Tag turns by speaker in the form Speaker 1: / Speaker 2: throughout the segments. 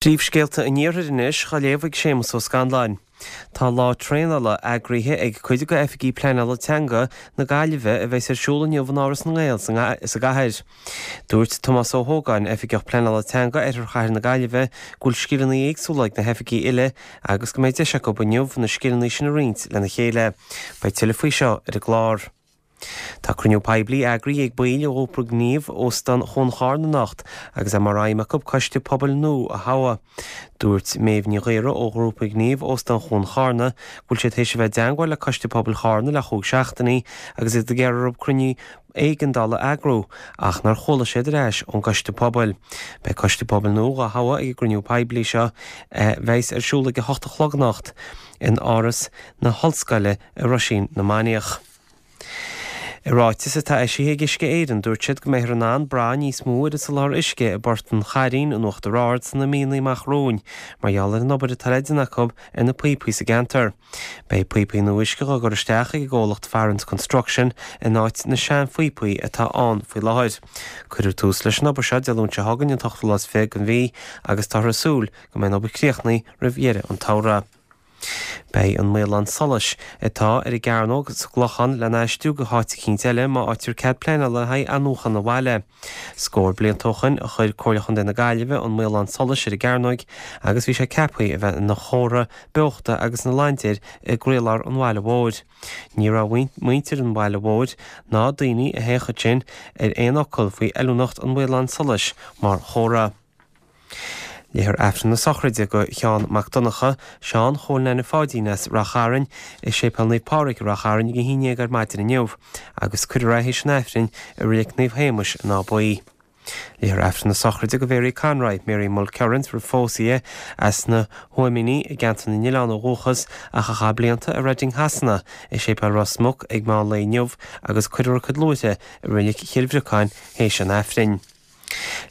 Speaker 1: Príomhscéalta an Iarthair anois á léamh ag Séamus Ó Scanláin. Tá lá traenála eagraithe ag cuid de oifigigh pleanála teanga na Gaillimhe a bheas ar siúl inniu in Áras na nGael sa gcathair. Dúirt Tomás Ó hÓgáin, Oifigeach Pleanála Teanga Oirthear Chathair na Gaillimhe, go bhfuil scileanna éagsúla ag na hoifigigh uile agus go mbeidh deis acu inniu na scileanna sin a roinnt lena chéile. Beidh tuilleadh faoi seo ar an gclár. Tá cruinniú poiblí eagraithe ag baill ó ghrúpa Gníomh Óstán Chuan Charna anocht agus é mar aidhm acu coiste pobail nua a thoghadh. Dúirt Méabh Ní Ghaora ó ghrúpa Gníomh Óstán Chuan Charna go bhfuil siad théis a bheith i dteangmháil le coiste pobail Charna le chúig seachtainí agus iad ag iarraidh orthu cruinniú éigeandála a eagrú ach nár chuala siad ar ais ón gcoiste pobail. Beidh coiste pobail nua dhá thoghadh ag an gcruinniú poiblí seo a bheas ar siúl ag a hocht a chlog anocht in Áras na hOllscoile i Roisín na Mainiach. I ráiteas atá eisithe ag Uisce Éireann, dúirt siad go mbeifear in ann brath níos mó ar an soláthar uisce i bPort an Chairín in Uachtar Ard sna míonna amach romhainn mar gheall ar an obair atá le déanamh acu ar na píopaí sa gceantar. Beidh píopaí nua uisce á gcur isteach ag an gcomhlacht Farrans Construction in áit na seanphíopaí atá ann faoi láthair. Cuirfear tús leis an obair seo Dé Luain seo chugainn, an t-ochtú lá is 20 den mhí, agus táthar ag súil go mbeidh an obair críochnaithe roimh dheireadh an tsamhraidh. Beidh an maolán solais atá ar an gcearnóg sa gClochán lena aistriú go háit eicínt eile má fhaightear cead pleanála le haghaidh athnuachan an bhaile. Scór blianta ó shoin a chuir Comhairle Chontae na Gaillimhe an maolán solais ar an gcearnóig agus bhí sé ceaptha a bheith ina chomhartha beochta agus ina laindéar i gcroílár an bhaile mhóir. Ní raibh muintir an bhaile mhóir ná daoine a théadh ansin ar aon fhocal faoi fheiliúnacht an mhaoláin solais mar chomhartha. Léifear Aifreann na sochraide do Sheán Mac Donncha, Seán Chóil Neaine Pháidín as Rath Chairn, i Séipéal Naomh Pádraig i Rath Chairn ag a 11 ar maidin inniu agus cuirfear é théis an Aifrinn i Reilig Naomh Shéamais in Áth Buí. Léifear Aifreann na sochraide do Mhary Conroy, Mary Mulkerrins roimh phósadh di, as na hTuaimíní i gCeantar na nOileán ó dhúchas ach a chaith blianta i Reading Shasana, i Séipéal Ros Muc ag meán lae inniu agus cuirfear a cuid luaithre i Reilig Chill Bhriocáin théis an Aifrinn.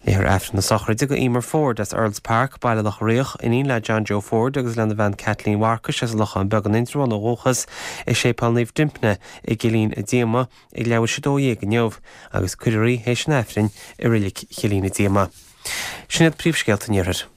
Speaker 1: Léifear Aifreann na sochraide do Emer Ford as Earls Park, Baile Locha Riach, iníon le John Joe Ford agus lena bhean Kathleen Mharcais as an Lochán Beag in Indreabhán ó dhúchas, i Séipéal Naomh Dympna i gCillín a' Díoma ag leathuair tar éis 12 inniu agus cuirfear í théis an Aifrinn i Reilig Chillín a' Díoma. Sin iad príomhscéalta an Iarthair.